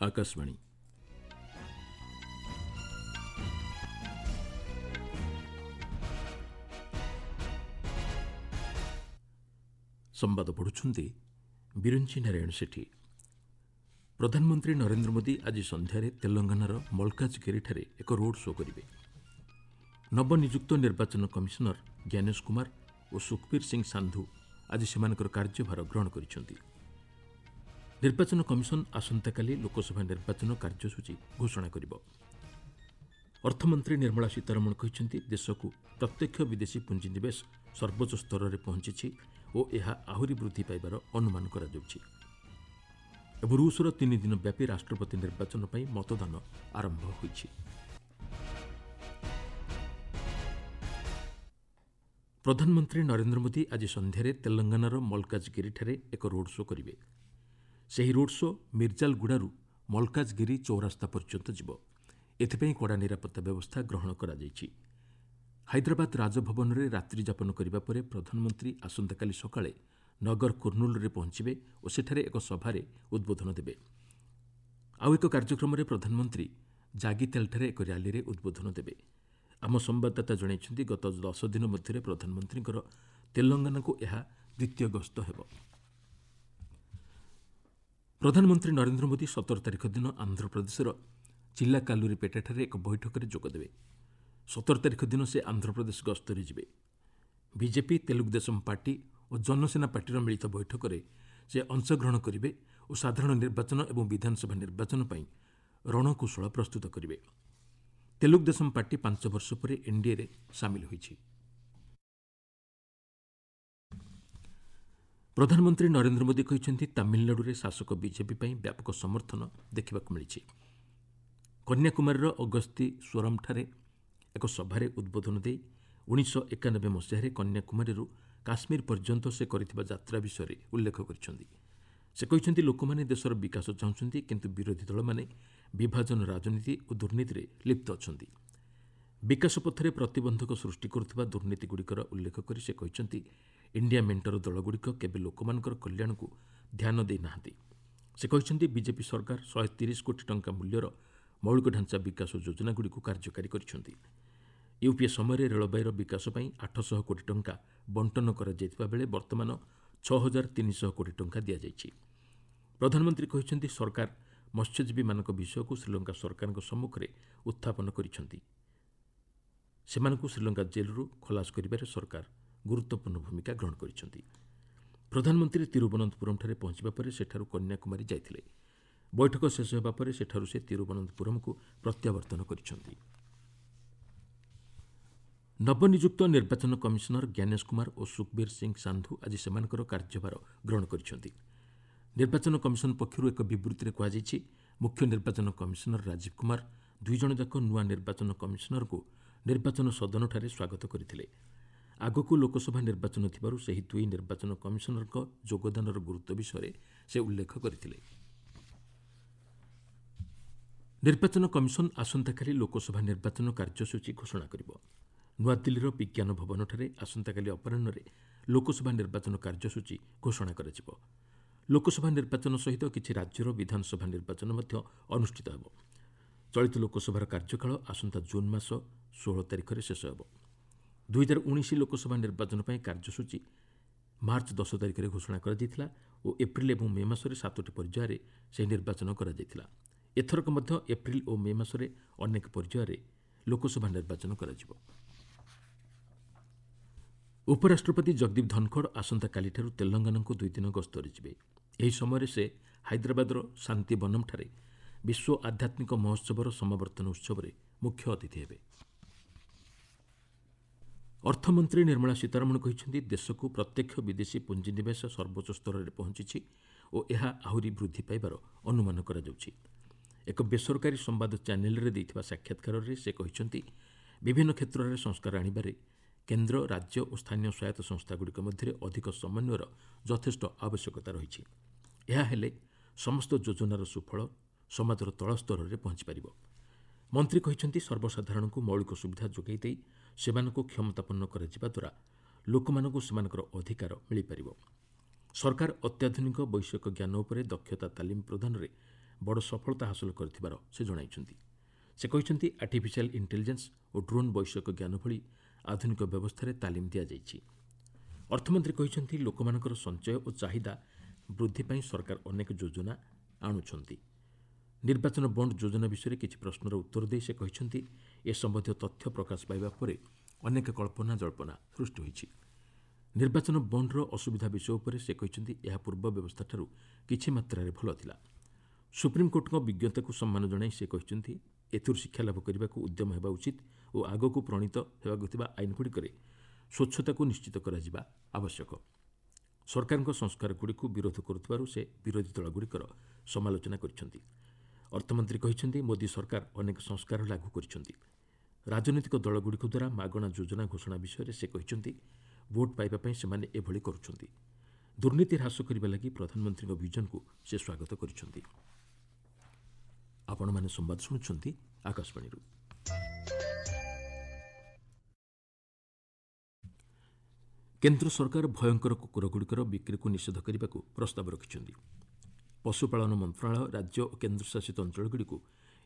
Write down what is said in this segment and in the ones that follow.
ଆକାଶବାଣୀ। ସମ୍ବାଦ ପଢ଼ୁଛନ୍ତି ବିରଞ୍ଚି ନାରାୟଣ ସେଠୀ। ପ୍ରଧାନମନ୍ତ୍ରୀ ନରେନ୍ଦ୍ର ମୋଦି ଆଜି ସନ୍ଧ୍ୟାରେ ତେଲଙ୍ଗାନାର ମଲ୍କାଜଗିରିଠାରେ ଏକ ରୋଡ୍ ଶୋ କରିବେ। ନବନିଯୁକ୍ତ ନିର୍ବାଚନ କମିଶନର ଜ୍ଞାନେଶ କୁମାର ଓ ସୁଖବୀର ସିଂ ସାନ୍ଧୁ ଆଜି ସେମାନଙ୍କର କାର୍ଯ୍ୟଭାର ଗ୍ରହଣ କରିଛନ୍ତି। ନିର୍ବାଚନ କମିଶନ ଆସନ୍ତାକାଲି ଲୋକସଭା ନିର୍ବାଚନ କାର୍ଯ୍ୟସୂଚୀ ଘୋଷଣା କରିବ। ଅର୍ଥମନ୍ତ୍ରୀ ନିର୍ମଳା ସୀତାରମଣ କହିଛନ୍ତି, ଦେଶକୁ ପ୍ରତ୍ୟକ୍ଷ ବିଦେଶୀ ପୁଞ୍ଜିନିବେଶ ସର୍ବୋଚ୍ଚ ସ୍ତରରେ ପହଞ୍ଚିଛି ଓ ଏହା ଆହୁରି ବୃଦ୍ଧି ପାଇବାର ଅନୁମାନ କରାଯାଉଛି। ଏବଂ ରୁଷର ତିନିଦିନ ବ୍ୟାପୀ ରାଷ୍ଟ୍ରପତି ନିର୍ବାଚନ ପାଇଁ ମତଦାନ ଆରମ୍ଭ ହୋଇଛି। ପ୍ରଧାନମନ୍ତ୍ରୀ ନରେନ୍ଦ୍ର ମୋଦି ଆଜି ସନ୍ଧ୍ୟାରେ ତେଲଙ୍ଗାନାର ମଲ୍କାଜଗିରିଠାରେ ଏକ ରୋଡ୍ ଶୋ କରିବେ। ସେହି ରୋଡ୍ ଶୋ ମିର୍ଜାଲଗୁଡ଼ାରୁ ମଲ୍କାଜଗିରି ଚୌରାସ୍ତା ପର୍ଯ୍ୟନ୍ତ ଯିବ। ଏଥିପାଇଁ କଡ଼ା ନିରାପତ୍ତା ବ୍ୟବସ୍ଥା ଗ୍ରହଣ କରାଯାଇଛି। ହାଇଦ୍ରାବାଦ ରାଜଭବନରେ ରାତ୍ରିଯାପନ କରିବା ପରେ ପ୍ରଧାନମନ୍ତ୍ରୀ ଆସନ୍ତାକାଲି ସକାଳେ ନଗର କୁର୍ଣ୍ଣୁଲରେ ପହଞ୍ଚିବେ ଓ ସେଠାରେ ଏକ ସଭାରେ ଉଦ୍ବୋଧନ ଦେବେ। ଆଉ ଏକ କାର୍ଯ୍ୟକ୍ରମରେ ପ୍ରଧାନମନ୍ତ୍ରୀ ଜାଗିତେଲ୍ଠାରେ ଏକ ର୍ୟାଲିରେ ଉଦ୍ବୋଧନ ଦେବେ। ଆମ ସମ୍ବାଦଦାତା ଜଣାଇଛନ୍ତି, ଗତ 10 ଦିନ ମଧ୍ୟରେ ପ୍ରଧାନମନ୍ତ୍ରୀଙ୍କର ତେଲଙ୍ଗାନାକୁ ଏହା ଦ୍ୱିତୀୟ ଗସ୍ତ ହେବ। ପ୍ରଧାନମନ୍ତ୍ରୀ ନରେନ୍ଦ୍ର ମୋଦି 17 ତାରିଖ ଦିନ ଆନ୍ଧ୍ରପ୍ରଦେଶର ଚିଲାକାଲୁରିପେଟାଠାରେ ଏକ ବୈଠକରେ ଯୋଗଦେବେ। 17 ତାରିଖ ଦିନ ସେ ଆନ୍ଧ୍ରପ୍ରଦେଶ ଗସ୍ତରେ ଯିବେ। ବିଜେପି, ତେଲୁଗୁଦେଶମ ପାର୍ଟି ଓ ଜନସେନା ପାର୍ଟିର ମିଳିତ ବୈଠକରେ ସେ ଅଂଶଗ୍ରହଣ କରିବେ ଓ ସାଧାରଣ ନିର୍ବାଚନ ଏବଂ ବିଧାନସଭା ନିର୍ବାଚନ ପାଇଁ ରଣକୌଶଳ ପ୍ରସ୍ତୁତ କରିବେ। ତେଲୁଗୁଦେଶମ ପାର୍ଟି 5 ବର୍ଷ ପରେ ଏନ୍ଡିଏରେ ସାମିଲ ହୋଇଛି। ପ୍ରଧାନମନ୍ତ୍ରୀ ନରେନ୍ଦ୍ର ମୋଦି କହିଛନ୍ତି, ତାମିଲନାଡୁରେ ଶାସକ ବିଜେପି ପାଇଁ ବ୍ୟାପକ ସମର୍ଥନ ଦେଖିବାକୁ ମିଳିଛି। କନ୍ୟାକୁମାରୀର ଅଗସ୍ତି ସ୍ୱରମ୍ଠାରେ ଏକ ସଭାରେ ଉଦ୍ବୋଧନ ଦେଇ 1991 ମସିହାରେ କନ୍ୟାକୁମାରୀରୁ କାଶ୍ମୀର ପର୍ଯ୍ୟନ୍ତ ସେ କରିଥିବା ଯାତ୍ରା ବିଷୟରେ ଉଲ୍ଲେଖ କରିଛନ୍ତି। ସେ କହିଛନ୍ତି, ଲୋକମାନେ ଦେଶର ବିକାଶ ଚାହୁଁଛନ୍ତି, କିନ୍ତୁ ବିରୋଧୀ ଦଳମାନେ ବିଭାଜନ ରାଜନୀତି ଓ ଦୁର୍ନୀତିରେ ଲିପ୍ତ ଅଛନ୍ତି। ବିକାଶ ପଥରେ ପ୍ରତିବନ୍ଧକ ସୃଷ୍ଟି କରୁଥିବା ଦୁର୍ନୀତିଗୁଡ଼ିକର ଉଲ୍ଲେଖ କରି ସେ କହିଛନ୍ତି, ଇଣ୍ଡିଆ ମେଣ୍ଟର ଦଳଗୁଡ଼ିକ କେବେ ଲୋକମାନଙ୍କର କଲ୍ୟାଣକୁ ଧ୍ୟାନ ଦେଇନାହାନ୍ତି। ସେ କହିଛନ୍ତି, ବିଜେପି ସରକାର 130 କୋଟି ଟଙ୍କା ମୂଲ୍ୟର ମୌଳିକ ଢାଞ୍ଚା ବିକାଶ ଯୋଜନାଗୁଡ଼ିକୁ କାର୍ଯ୍ୟକାରୀ କରିଛନ୍ତି। ୟୁପିଏ ସମୟରେ ରେଳବାଇର ବିକାଶ ପାଇଁ 800 କୋଟି ଟଙ୍କା ବଣ୍ଟନ କରାଯାଇଥିବା ବେଳେ ବର୍ତ୍ତମାନ 6300 କୋଟି ଟଙ୍କା ଦିଆଯାଇଛି। ପ୍ରଧାନମନ୍ତ୍ରୀ କହିଛନ୍ତି, ସରକାର ମତ୍ସ୍ୟଜୀବୀମାନଙ୍କ ବିଷୟକୁ ଶ୍ରୀଲଙ୍କା ସରକାରଙ୍କ ସମ୍ମୁଖରେ ଉତ୍ଥାପନ କରିଛନ୍ତି। ସେମାନଙ୍କୁ ଶ୍ରୀଲଙ୍କା ଜେଲ୍ରୁ ଖଲାସ କରିବାରେ ସରକାର ଗୁରୁତ୍ୱପୂର୍ଣ୍ଣ ଭୂମିକା ଗ୍ରହଣ କରିଛନ୍ତି। ପ୍ରଧାନମନ୍ତ୍ରୀ ତିରୁବନନ୍ତପୁରମ୍ଠାରେ ପହଞ୍ଚିବା ପରେ ସେଠାରୁ କନ୍ୟାକୁମାରୀ ଯାଇଥିଲେ। ବୈଠକ ଶେଷ ହେବା ପରେ ସେଠାରୁ ସେ ତିରୁବନନ୍ତପୁରମ୍କୁ ପ୍ରତ୍ୟାବର୍ତ୍ତନ କରିଛନ୍ତି। ନବନିଯୁକ୍ତ ନିର୍ବାଚନ କମିଶନର ଜ୍ଞାନେଶ କୁମାର ଓ ସୁଖବୀର ସିଂ ସାନ୍ଧୁ ଆଜି ସେମାନଙ୍କର କାର୍ଯ୍ୟଭାର ଗ୍ରହଣ କରିଛନ୍ତି। ନିର୍ବାଚନ କମିଶନ ପକ୍ଷରୁ ଏକ ବିବୃତ୍ତିରେ କୁହାଯାଇଛି, ମୁଖ୍ୟ ନିର୍ବାଚନ କମିଶନର ରାଜୀବ କୁମାର ଦୁଇଜଣ ଯାକ ନୂଆ ନିର୍ବାଚନ କମିଶନରଙ୍କୁ ନିର୍ବାଚନ ସଦନଠାରେ ସ୍ୱାଗତ କରିଥିଲେ। ଆଗକୁ ଲୋକସଭା ନିର୍ବାଚନ ଥିବାରୁ ସେହି ଦୁଇ ନିର୍ବାଚନ କମିଶନରଙ୍କ ଯୋଗଦାନର ଗୁରୁତ୍ୱ ବିଷୟରେ ସେ ଉଲ୍ଲେଖ କରିଥିଲେ। ନିର୍ବାଚନ କମିଶନ ଆସନ୍ତାକାଲି ଲୋକସଭା ନିର୍ବାଚନ କାର୍ଯ୍ୟସୂଚୀ ଘୋଷଣା କରିବ। ନୂଆଦିଲ୍ଲୀର ବିଜ୍ଞାନ ଭବନଠାରେ ଆସନ୍ତାକାଲି ଅପରାହ୍ନରେ ଲୋକସଭା ନିର୍ବାଚନ କାର୍ଯ୍ୟସୂଚୀ ଘୋଷଣା କରାଯିବ। ଲୋକସଭା ନିର୍ବାଚନ ସହିତ କିଛି ରାଜ୍ୟର ବିଧାନସଭା ନିର୍ବାଚନ ମଧ୍ୟ ଅନୁଷ୍ଠିତ ହେବ। ଚଳିତ ଲୋକସଭାର କାର୍ଯ୍ୟକାଳ ଆସନ୍ତା ଜୁନ୍ ମାସ 16 ତାରିଖରେ ଶେଷ ହେବ। 2019 ଲୋକସଭା ନିର୍ବାଚନ ପାଇଁ କାର୍ଯ୍ୟସୂଚୀ ମାର୍ଚ୍ଚ 10 ତାରିଖରେ ଘୋଷଣା କରାଯାଇଥିଲା ଓ ଏପ୍ରିଲ୍ ଏବଂ ମେ ମାସରେ 7ଟି ପର୍ଯ୍ୟାୟରେ ସେହି ନିର୍ବାଚନ କରାଯାଇଥିଲା। ଏଥରକ ମଧ୍ୟ ଏପ୍ରିଲ୍ ଓ ମେ ମାସରେ ଅନେକ ପର୍ଯ୍ୟାୟରେ ଲୋକସଭା ନିର୍ବାଚନ କରାଯିବ। ଉପରାଷ୍ଟ୍ରପତି ଜଗଦୀପ ଧନଖଡ଼ ଆସନ୍ତାକାଲିଠାରୁ ତେଲଙ୍ଗାନାକୁ 2 ଦିନ ଗସ୍ତରେ ଯିବେ। ଏହି ସମୟରେ ସେ ହାଇଦ୍ରାବାଦର ଶାନ୍ତିବନମ୍ଠାରେ ବିଶ୍ୱ ଆଧ୍ୟାତ୍ମିକ ମହୋତ୍ସବର ସମାବର୍ତ୍ତନ ଉତ୍ସବରେ ମୁଖ୍ୟ ଅତିଥି ହେବେ। ଅର୍ଥମନ୍ତ୍ରୀ ନିର୍ମଳା ସୀତାରମଣ କହିଛନ୍ତି, ଦେଶକୁ ପ୍ରତ୍ୟକ୍ଷ ବିଦେଶୀ ପୁଞ୍ଜିନିବେଶ ସର୍ବୋଚ୍ଚ ସ୍ତରରେ ପହଞ୍ଚିଛି ଓ ଏହା ଆହୁରି ବୃଦ୍ଧି ପାଇବାର ଅନୁମାନ କରାଯାଉଛି। ଏକ ବେସରକାରୀ ସମ୍ବାଦ ଚ୍ୟାନେଲ୍ରେ ଦେଇଥିବା ସାକ୍ଷାତକାରରେ ସେ କହିଛନ୍ତି, ବିଭିନ୍ନ କ୍ଷେତ୍ରରେ ସଂସ୍କାର ଆଣିବାରେ କେନ୍ଦ୍ର, ରାଜ୍ୟ ଓ ସ୍ଥାନୀୟ ସ୍ୱାୟତ୍ତ ସଂସ୍ଥାଗୁଡ଼ିକ ମଧ୍ୟରେ ଅଧିକ ସମନ୍ୱୟର ଯଥେଷ୍ଟ ଆବଶ୍ୟକତା ରହିଛି। ଏହା ହେଲେ ସମସ୍ତ ଯୋଜନାର ସୁଫଳ ସମାଜର ତଳ ସ୍ତରରେ ପହଞ୍ଚିପାରିବ। ମନ୍ତ୍ରୀ କହିଛନ୍ତି, ସର୍ବସାଧାରଣଙ୍କୁ ମୌଳିକ ସୁବିଧା ଯୋଗାଇ ଦେଇ ସେମାନଙ୍କୁ କ୍ଷମତାପନ୍ନ କରାଯିବା ଦ୍ୱାରା ଲୋକମାନଙ୍କୁ ସେମାନଙ୍କର ଅଧିକାର ମିଳିପାରିବ। ସରକାର ଅତ୍ୟାଧୁନିକ ବୈଷୟିକ ଜ୍ଞାନ ଉପରେ ଦକ୍ଷତା ତାଲିମ ପ୍ରଦାନରେ ବଡ଼ ସଫଳତା ହାସଲ କରିଥିବାର ସେ ଜଣାଇଛନ୍ତି। ସେ କହିଛନ୍ତି, ଆର୍ଟିଫିସିଆଲ୍ ଇଣ୍ଟେଲିଜେନ୍ସ ଓ ଡ୍ରୋନ୍ ବୈଷୟିକ ଜ୍ଞାନ ଭଳି ଆଧୁନିକ ବ୍ୟବସ୍ଥାରେ ତାଲିମ ଦିଆଯାଇଛି। ଅର୍ଥମନ୍ତ୍ରୀ କହିଛନ୍ତି, ଲୋକମାନଙ୍କର ସଞ୍ଚୟ ଓ ଚାହିଦା ବୃଦ୍ଧି ପାଇଁ ସରକାର ଅନେକ ଯୋଜନା ଆଣୁଛନ୍ତି। ନିର୍ବାଚନ ବଣ୍ଡ ଯୋଜନା ବିଷୟରେ କିଛି ପ୍ରଶ୍ନର ଉତ୍ତର ଦେଇ ସେ କହିଛନ୍ତି, ଏ ସମ୍ବନ୍ଧୀୟ ତଥ୍ୟ ପ୍ରକାଶ ପାଇବା ପରେ ଅନେକ କଳ୍ପନା ଜଳ୍ପନା ସୃଷ୍ଟି ହୋଇଛି। ନିର୍ବାଚନ ବଣ୍ଡର ଅସୁବିଧା ବିଷୟ ଉପରେ ସେ କହିଛନ୍ତି, ଏହା ପୂର୍ବ ବ୍ୟବସ୍ଥାଠାରୁ କିଛି ମାତ୍ରାରେ ଭଲ ଥିଲା। ସୁପ୍ରିମ୍କୋର୍ଟଙ୍କ ବିଜ୍ଞତାକୁ ସମ୍ମାନ ଜଣାଇ ସେ କହିଛନ୍ତି, ଏଥିରୁ ଶିକ୍ଷାଲାଭ କରିବାକୁ ଉଦ୍ୟମ ହେବା ଉଚିତ ଓ ଆଗକୁ ପ୍ରଣୀତ ହେବାକୁ ଥିବା ଆଇନଗୁଡ଼ିକରେ ସ୍ୱଚ୍ଛତାକୁ ନିଶ୍ଚିତ କରାଯିବା ଆବଶ୍ୟକ। ସରକାରଙ୍କ ସଂସ୍କାରଗୁଡ଼ିକୁ ବିରୋଧ କରୁଥିବାରୁ ସେ ବିରୋଧୀ ଦଳଗୁଡ଼ିକର ସମାଲୋଚନା କରିଛନ୍ତି। ଅର୍ଥମନ୍ତ୍ରୀ କହିଛନ୍ତି, ମୋଦି ସରକାର ଅନେକ ସଂସ୍କାର ଲାଗୁ କରିଛନ୍ତି। ରାଜନୈତିକ ଦଳଗୁଡ଼ିକ ଦ୍ୱାରା ମାଗଣା ଯୋଜନା ଘୋଷଣା ବିଷୟରେ ସେ କହିଛନ୍ତି, ଭୋଟ୍ ପାଇବା ପାଇଁ ସେମାନେ ଏଭଳି କରୁଛନ୍ତି। ଦୁର୍ନୀତି ହ୍ରାସ କରିବା ଲାଗି ପ୍ରଧାନମନ୍ତ୍ରୀଙ୍କ ଭିଜନକୁ ସେ ସ୍ୱାଗତ କରିଛନ୍ତି। ଆପଣମାନେ ସମ୍ବାଦ ଶୁଣୁଛନ୍ତି ଆକାଶବାଣୀରୁ। କେନ୍ଦ୍ର ସରକାର ଭୟଙ୍କର କୁକୁରଗୁଡ଼ିକର ବିକ୍ରିକୁ ନିଷେଧ କରିବାକୁ ପ୍ରସ୍ତାବ ରଖିଛନ୍ତି। ପଶୁପାଳନ ମନ୍ତ୍ରଣାଳୟ ରାଜ୍ୟ ଓ କେନ୍ଦ୍ରଶାସିତ ଅଞ୍ଚଳଗୁଡ଼ିକୁ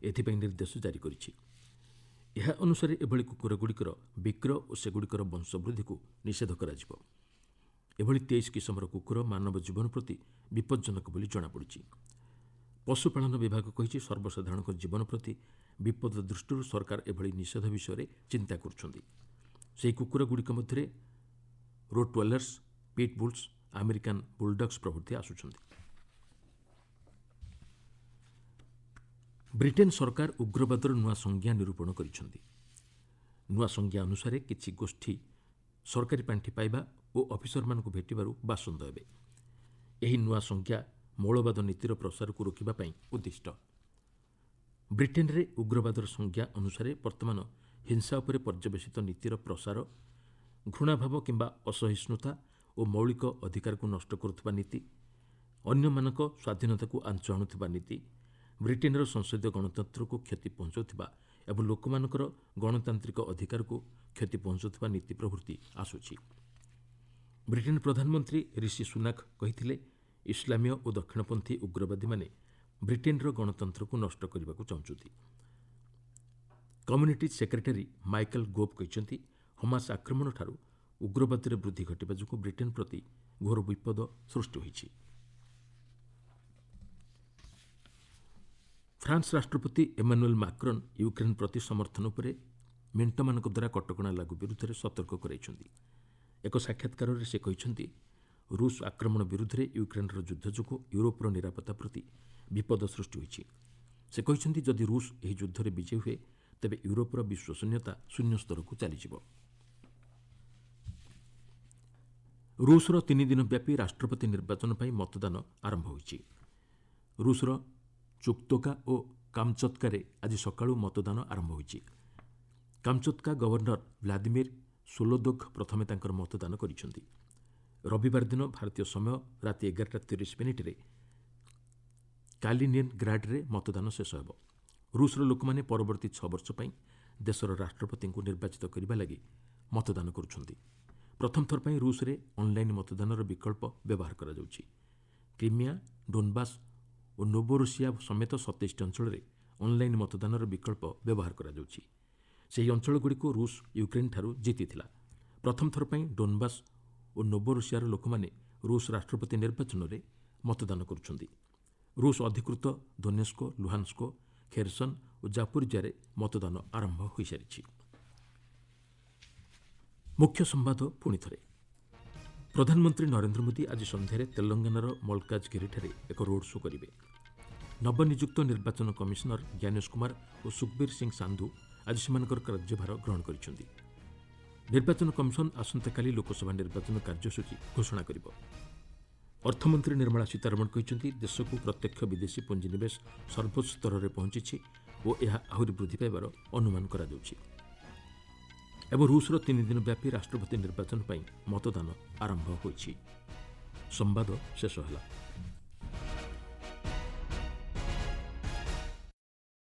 ଏଥିପାଇଁ ନିର୍ଦ୍ଦେଶ ଜାରି କରିଛି। ଏହା ଅନୁସାରେ ଏଭଳି କୁକୁରଗୁଡ଼ିକର ବିକ୍ରୟ ଓ ସେଗୁଡ଼ିକର ବଂଶବୃଦ୍ଧିକୁ ନିଷେଧ କରାଯିବ। ଏଭଳି 23 କିସମର କୁକୁର ମାନବ ଜୀବନ ପ୍ରତି ବିପଜ୍ଜନକ ବୋଲି ଜଣାପଡ଼ିଛି। ପଶୁପାଳନ ବିଭାଗ କହିଛି, ସର୍ବସାଧାରଣଙ୍କ ଜୀବନ ପ୍ରତି ବିପଦ ଦୃଷ୍ଟିରୁ ସରକାର ଏଭଳି ନିଷେଧ ବିଷୟରେ ଚିନ୍ତା କରୁଛନ୍ତି। ସେହି କୁକୁରଗୁଡ଼ିକ ମଧ୍ୟରେ ରୋଟୱେଲର୍ସ, ପିଟ୍ବୁଲ୍ସ, ଆମେରିକାନ୍ ବୁଲ୍ଡଗ୍ସ ପ୍ରଭୃତି ଆସୁଛନ୍ତି। ବ୍ରିଟେନ୍ ସରକାର ଉଗ୍ରବାଦର ନୂଆ ସଂଜ୍ଞା ନିରୂପଣ କରିଛନ୍ତି। ନୂଆ ସଂଜ୍ଞା ଅନୁସାରେ କିଛି ଗୋଷ୍ଠୀ ସରକାରୀ ପାଣ୍ଠି ପାଇବା ଓ ଅଫିସରମାନଙ୍କୁ ଭେଟିବାରୁ ବାସନ୍ଦ ହେବେ। ଏହି ନୂଆ ସଂଜ୍ଞା ମୌଳବାଦ ନୀତିର ପ୍ରସାରକୁ ରୋକିବା ପାଇଁ ଉଦ୍ଦିଷ୍ଟ। ବ୍ରିଟେନ୍ରେ ଉଗ୍ରବାଦର ସଂଜ୍ଞା ଅନୁସାରେ ବର୍ତ୍ତମାନ ହିଂସା ଉପରେ ପର୍ଯ୍ୟବେସିତ ନୀତିର ପ୍ରସାର, ଘୃଣାଭାବ କିମ୍ବା ଅସହିଷ୍ଣୁତା ଓ ମୌଳିକ ଅଧିକାରକୁ ନଷ୍ଟ କରୁଥିବା ନୀତି, ଅନ୍ୟମାନଙ୍କ ସ୍ୱାଧୀନତାକୁ ଆଞ୍ଚ ଆଣୁଥିବା ନୀତି, ବ୍ରିଟେନ୍ର ସଂସଦୀୟ ଗଣତନ୍ତ୍ରକୁ କ୍ଷତି ପହଞ୍ଚାଉଥିବା ଏବଂ ଲୋକମାନଙ୍କର ଗଣତାନ୍ତ୍ରିକ ଅଧିକାରକୁ କ୍ଷତି ପହଞ୍ଚାଉଥିବା ନୀତି ପ୍ରଭୃତି ଆସୁଛି। ବ୍ରିଟେନ୍ ପ୍ରଧାନମନ୍ତ୍ରୀ ରିଷି ସୁନାକ କହିଥିଲେ, ଇସଲାମୀୟ ଓ ଦକ୍ଷିଣପନ୍ଥୀ ଉଗ୍ରବାଦୀମାନେ ବ୍ରିଟେନ୍ର ଗଣତନ୍ତ୍ରକୁ ନଷ୍ଟ କରିବାକୁ ଚାହୁଁଛନ୍ତି। କମ୍ୟୁନିଟି ସେକ୍ରେଟାରୀ ମାଇକେଲ୍ ଗୋଭ୍ କହିଛନ୍ତି, ହମାସ ଆକ୍ରମଣଠାରୁ ଉଗ୍ରବାଦରେ ବୃଦ୍ଧି ଘଟିବା ଯୋଗୁଁ ବ୍ରିଟେନ୍ ପ୍ରତି ଘୋର ବିପଦ ସୃଷ୍ଟି ହୋଇଛି। ଫ୍ରାନ୍ସ ରାଷ୍ଟ୍ରପତି ଏମାନୁଏଲ୍ ମାକ୍ରନ୍ ୟୁକ୍ରେନ୍ ପ୍ରତି ସମର୍ଥନ ଉପରେ ମେଣ୍ଟମାନଙ୍କ ଦ୍ୱାରା କଟକଣା ଲାଗୁ ବିରୁଦ୍ଧରେ ସତର୍କ କରାଇଛନ୍ତି। ଏକ ସାକ୍ଷାତକାରରେ ସେ କହିଛନ୍ତି, ରୁଷ ଆକ୍ରମଣ ବିରୁଦ୍ଧରେ ୟୁକ୍ରେନ୍ର ଯୁଦ୍ଧ ଯୋଗୁଁ ୟୁରୋପର ନିରାପତ୍ତା ପ୍ରତି ବିପଦ ସୃଷ୍ଟି ହୋଇଛି। ସେ କହିଛନ୍ତି, ଯଦି ରୁଷ ଏହି ଯୁଦ୍ଧରେ ବିଜୟୀ ହୁଏ, ତେବେ ୟୁରୋପର ବିଶ୍ୱସନୀୟତା ଶୂନ୍ୟ ସ୍ତରକୁ ଚାଲିଯିବ। ରୁଷର 3 ଦିନ ବ୍ୟାପୀ ରାଷ୍ଟ୍ରପତି ନିର୍ବାଚନ ପାଇଁ ମତଦାନ ଆରମ୍ଭ ହୋଇଛି। ରୁଷର ଚୁକ୍ତୋକା ଓ କାମଚତ୍କାରେ ଆଜି ସକାଳୁ ମତଦାନ ଆରମ୍ଭ ହୋଇଛି। କାମଚତ୍କା ଗଭର୍ଣ୍ଣର ଭ୍ଲାଦିମିର୍ ସୋଲୋଦୋଭ୍ ପ୍ରଥମେ ତାଙ୍କର ମତଦାନ କରିଛନ୍ତି। ରବିବାର ଦିନ ଭାରତୀୟ ସମୟ ରାତି 11:30 କାଲିନିନ୍ଗ୍ରାଡ୍ରେ ମତଦାନ ଶେଷ ହେବ। ରୁଷର ଲୋକମାନେ ପରବର୍ତ୍ତୀ 6 ବର୍ଷ ପାଇଁ ଦେଶର ରାଷ୍ଟ୍ରପତିଙ୍କୁ ନିର୍ବାଚିତ କରିବା ଲାଗି ମତଦାନ କରୁଛନ୍ତି। ପ୍ରଥମ ଥର ପାଇଁ ରୁଷରେ ଅନ୍ଲାଇନ୍ ମତଦାନର ବିକଳ୍ପ ବ୍ୟବହାର କରାଯାଉଛି। କ୍ରିମିଆ, ଡୋନ୍ବାସ୍ ଓ ନୋବୋରୋସିଆ ସମେତ 27ଟି ଅଞ୍ଚଳରେ ଅନ୍ଲାଇନ୍ ମତଦାନର ବିକଳ୍ପ ବ୍ୟବହାର କରାଯାଉଛି। ସେହି ଅଞ୍ଚଳଗୁଡ଼ିକୁ ରୁଷ ୟୁକ୍ରେନ୍ଠାରୁ ଜିତିଥିଲା। ପ୍ରଥମ ଥର ପାଇଁ ଡୋନ୍ବାସ୍ ଓ ନୋବୋରୋସିଆର ଲୋକମାନେ ରୁଷ ରାଷ୍ଟ୍ରପତି ନିର୍ବାଚନରେ ମତଦାନ କରୁଛନ୍ତି। ରୁଷ ଅଧିକୃତ ଦୋନେସ୍କୋ, ଲୁହାନ୍ସ୍କୋ, ଖେରସନ୍ ଓ ଜାପୋରିଜିଆରେ ମତଦାନ ଆରମ୍ଭ ହୋଇସାରିଛି। ମୁଖ୍ୟ ସମ୍ବାଦ ପୁଣିଥରେ। ପ୍ରଧାନମନ୍ତ୍ରୀ ନରେନ୍ଦ୍ର ମୋଦି ଆଜି ସନ୍ଧ୍ୟାରେ ତେଲଙ୍ଗାନାର ମଲ୍କାଜଗିରିଠାରେ ଏକ ରୋଡ୍ ଶୋ କରିବେ। ନବନିଯୁକ୍ତ ନିର୍ବାଚନ କମିଶନର ଜ୍ଞାନେଶ କୁମାର ଓ ସୁଖବୀର ସିଂ ସାନ୍ଧୁ ଆଜି ସେମାନଙ୍କର କାର୍ଯ୍ୟଭାର ଗ୍ରହଣ କରିଛନ୍ତି। ନିର୍ବାଚନ କମିଶନ ଆସନ୍ତାକାଲି ଲୋକସଭା ନିର୍ବାଚନ କାର୍ଯ୍ୟସୂଚୀ ଘୋଷଣା କରିବ। ଅର୍ଥମନ୍ତ୍ରୀ ନିର୍ମଳା ସୀତାରମଣ କହିଛନ୍ତି, ଦେଶକୁ ପ୍ରତ୍ୟକ୍ଷ ବିଦେଶୀ ପୁଞ୍ଜିନିବେଶ ସର୍ବୋଚ୍ଚ ସ୍ତରରେ ପହଞ୍ଚିଛି ଓ ଏହା ଆହୁରି ବୃଦ୍ଧି ପାଇବାର ଅନୁମାନ କରାଯାଉଛି। ଏବଂ ରୁଷର 3 ଦିନ ବ୍ୟାପୀ ରାଷ୍ଟ୍ରପତି ନିର୍ବାଚନ ପାଇଁ ମତଦାନ ଆରମ୍ଭ ହୋଇଛି। ସମ୍ବାଦ ଶେଷ ହେଲା।